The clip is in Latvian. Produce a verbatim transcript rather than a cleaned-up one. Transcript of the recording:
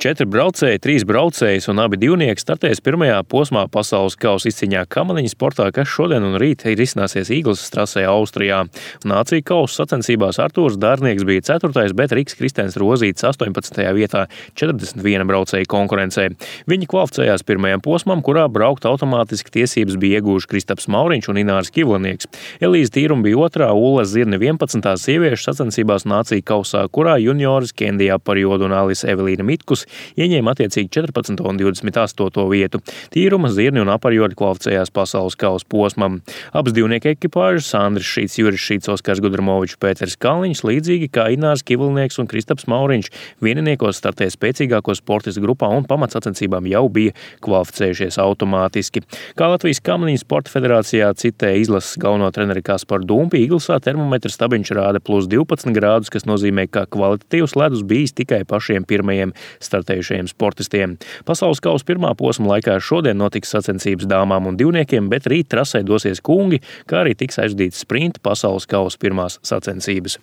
Četri braucēji, trīs braucējas un abi divnieki startēs pirmajā posmā pasaules kausa izcīņā kamaniņu sportā, kas šodien un rīt ir izcināsies Īglas trasē Austrijā. Nāciju kausa sacensībās Artūrs Dārnieks bija ceturtais, bet Riks Kristēns Rozītis astoņpadsmitajā vietā četrdesmit viena braucēja konkurencē. Viņi kvalificējās pirmajam posmam, kurā braukt automātiski tiesības bija iegūši Kristaps Mauriņš un Inārs Kivlinieks. Elīze Tīruma bija otrā, Ulla Zirne vienpadsmitā sieviešu sacensībās nāciju kausā, kurā junioris Kendijā Parjodu un Alise Evelīna Mitkus ieņēma attiecīgi četrpadsmito un divdesmit astoto vietu. Tīruma, Zirni un Aparjodi kvalificējās pasaules kausa posmam. Abas divnieku ekipāžas Andris Šīts, Juris Šīts, Oskars Gudramovičs, Pēters Kalniņš, līdzīgi kā Inārs Kivlinieks un Kristaps Mauriņš, vieniniekos startē spēcīgāko sportistu grupā un pamatsacensībām jau bija kvalificējušies automātiski. Kā Latvijas kamaniņu sporta federācijā citē izlases galveno treneri Kasparu Dumpi, Īglesā termometra stabiņš rāda plus divpadsmit grādus, kas nozīmē, ka kvalitatīvs ledus bijis tikai pašiem pirmajiem startējušajiem sportistiem. Pasaules kausa pirmā posma laikā šodien notiks sacensības dāmām un divniekiem, bet rīt trasē dosies kungi, kā arī tiks aizdīts sprinta pasaules kausa pirmās sacensības.